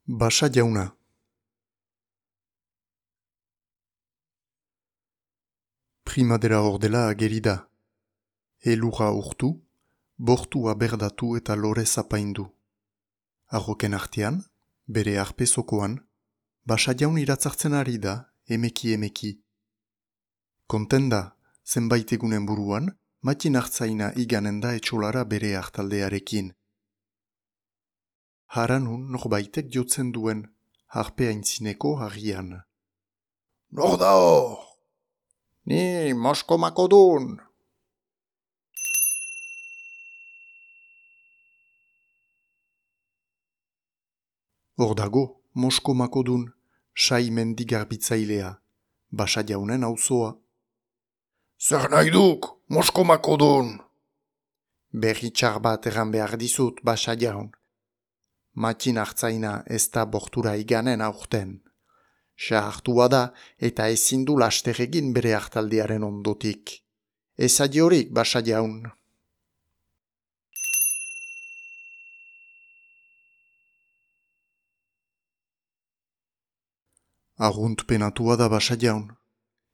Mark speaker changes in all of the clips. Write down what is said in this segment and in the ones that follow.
Speaker 1: Basa jauna. Primadera ordela ageri da. Elurra urtu, bortua berdatu eta lore zapaindu. Arroken artean, bere arpezokoan, basa jaun iratzartzen ari da, emeki. Konten da, zenbait egunen buruan, matin hartzaina iganen da etxolara bere hartaldearekin. Haranun norbaitek jotzen duen, harpe aintzineko harrian.
Speaker 2: Nor da hor? Ni Mosko Makodun.
Speaker 1: Hor dago, Mosko Makodun, sai mendigarbitzailea, basa jaunen auzoa.
Speaker 2: Zer nahi duk, Mosko Makodun?
Speaker 1: Berri txar bat erran behar dizut, basa jaun. Matin hartzaina ez da bortura iganen aurten. Sahartua da eta ezin du laster egin bere hartaldearen ondotik. Ez adiorik, basa jaun. Arrunt penatua da basa jaun.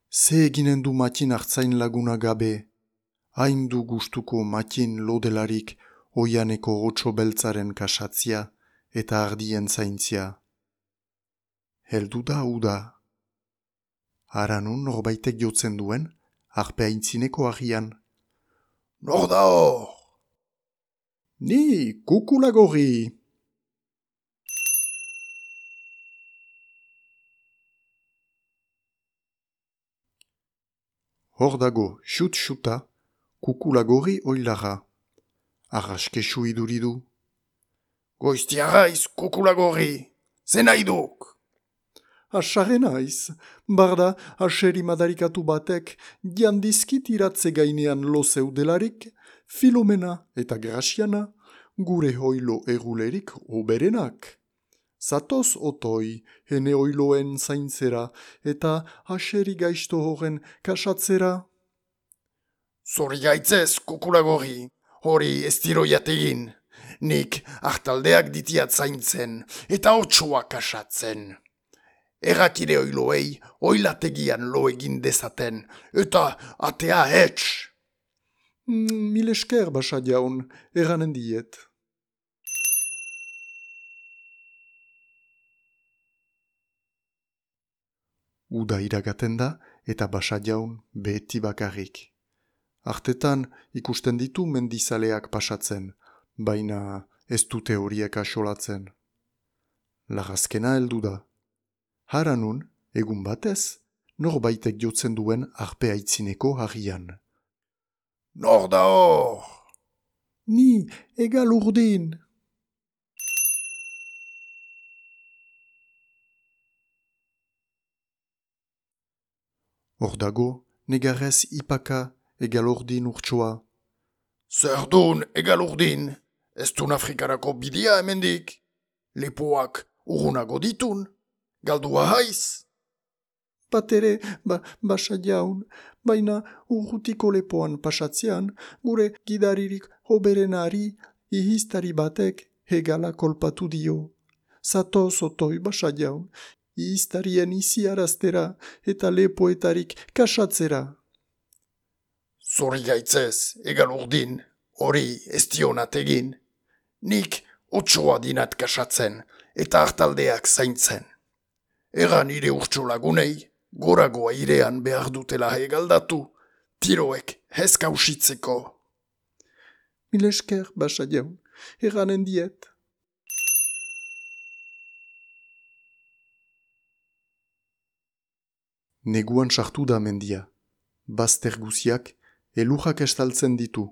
Speaker 1: Ze eginen du matin hartzain laguna gabe. Hain du gustuko matin lodelarik oianeko otso beltzaren kasatzia eta ardien zaintzia. Heldu da uda. Haranun norbaitek jotzen duen, harpe aintzineko harrian.
Speaker 2: Nor da hor?
Speaker 1: Ni, kukulagorri! Hor dago, xut-xuta, kukulagorri oilara. Arraskesu iduridu.
Speaker 2: Goiztiarraiz, kukulagorri. Zen nahi duk?
Speaker 1: Asaren aiz, barda aseri madarikatu batek jandizkit iratze gainean lo zeudelarik, Filomena eta Graziana, gure hoilo egulerik oberenak. Zatoz otoi, hene oiloen zaintzera eta aseri gaizto horren kasatzera.
Speaker 2: Zori gaitzez, kukulagorri. Hori ez diro jategin. Nik hartaldeak ditiat zaintzen eta otsoak kasatzen. Errakire oiloei oilategian lo egin dezaten eta atea hetx.
Speaker 1: Mil esker, basa jaun, erranen diet. Uda iragaten da eta basa jaun beti bakarrik. Artetan ikusten ditu mendizaleak pasatzen, baina ez dute horiek asolatzen. Lagazkena heldu da. Haranun, egun batez, norbaitek jotzen duen harpe aitzineko harrian.
Speaker 2: Nor da hor?
Speaker 1: Ni, egal urdin! Hor dago, negarrez ipaka, egal urdin urtsua.
Speaker 2: Zer dun egal urdin? Ez dun Afrikarako bidea hemendik? Lepoak urrunago ditun? Galdua haiz?
Speaker 1: Batere, basa jaun, baina urrutiko lepoan pasatzean, gure gidaririk hoberenari, ihistari batek hegala kolpatu dio. Zatoz otoi, basa jaun, ihistarien iziaraztera eta lepoetarik kasatzera.
Speaker 2: Zori gaitzez, egal urdin, hori ez dionat egin. Nik otsoa dinat kasatzen eta hartaldeak zaintzen. Egan nire urtso lagunei, gorago airean behar dutela hegaldatu, tiroek hezkausitzeko.
Speaker 1: Mil esker, basa jaun, erranen diet. Neguan sartu da mendia. Bazter guziak elurrak estaltzen ditu.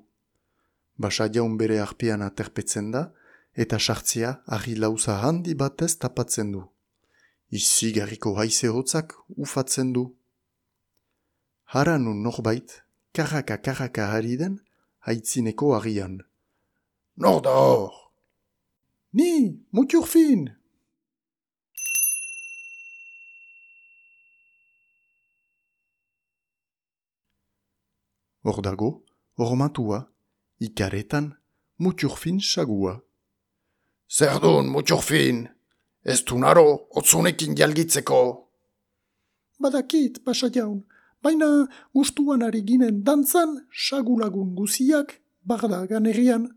Speaker 1: Basa jaun bere arpean aterpetzen da eta sartzea argi lauza handi batez tapatzen du. Izigarriko haize hotzak ufatzen du. Haranun norbait, karraka ari den, haitzineko harrian.
Speaker 2: Nor da hor?
Speaker 1: Ni, muturfin! Hor dago, hormatua, ikaretan, muturfin sagua.
Speaker 2: Zer dun, muturfin? Ez du naro, otzunekin jalgitzeko.
Speaker 3: Badakit, pasa jaun, baina gustuan ari ginen dantzan sagulagun guziak bagda ganerian,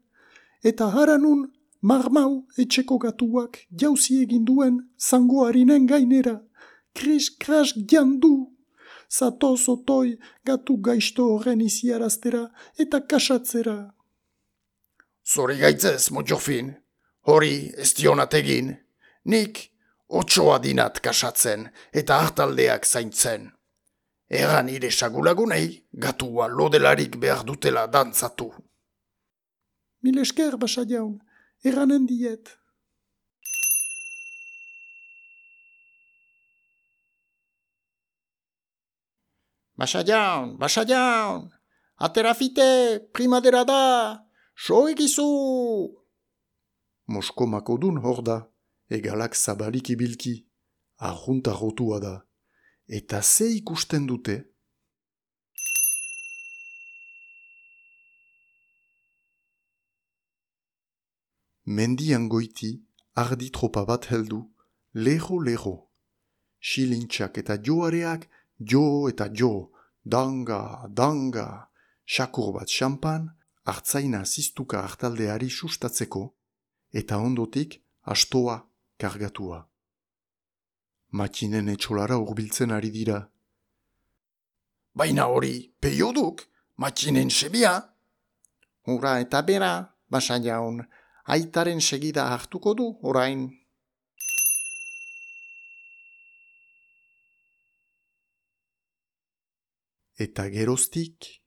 Speaker 3: eta haranun marmau etxeko gatuak jauzi egin duen zangoarinen gainera, kris-kras jandu. Zatoz otoi gatu gaizto horren iziaraztera eta kasatzera.
Speaker 2: Zori gaitzez, Motjofin, hori ez dionat egin. Nik otsoa dinat kasatzen eta hartaldeak zaintzen. Egan nire sagulagunei gatua lodelarik behar dutela dantzatu.
Speaker 3: Mil esker, basa jaun, erranen diet.
Speaker 2: Basa jaun, aterafite, primadera da, so egizu!
Speaker 1: Moskomako dun hor da, egalak zabalik ibilki, arjunta rotua da. Eta ze ikusten dute? Mendian goiti, ardi tropa bat heldu, leho. Xilintxak eta joareak, jo eta jo, danga, xakur bat xampan, hartzaina ziztuka hartaldeari sustatzeko, eta ondotik astoa kargatua. Makinen etxolara hurbiltzen ari dira.
Speaker 2: Baina hori, peioduk, makinen sebia.
Speaker 3: Hura eta bera, basa jaun, aitaren segida hartuko du orain.
Speaker 1: Eta geroztik,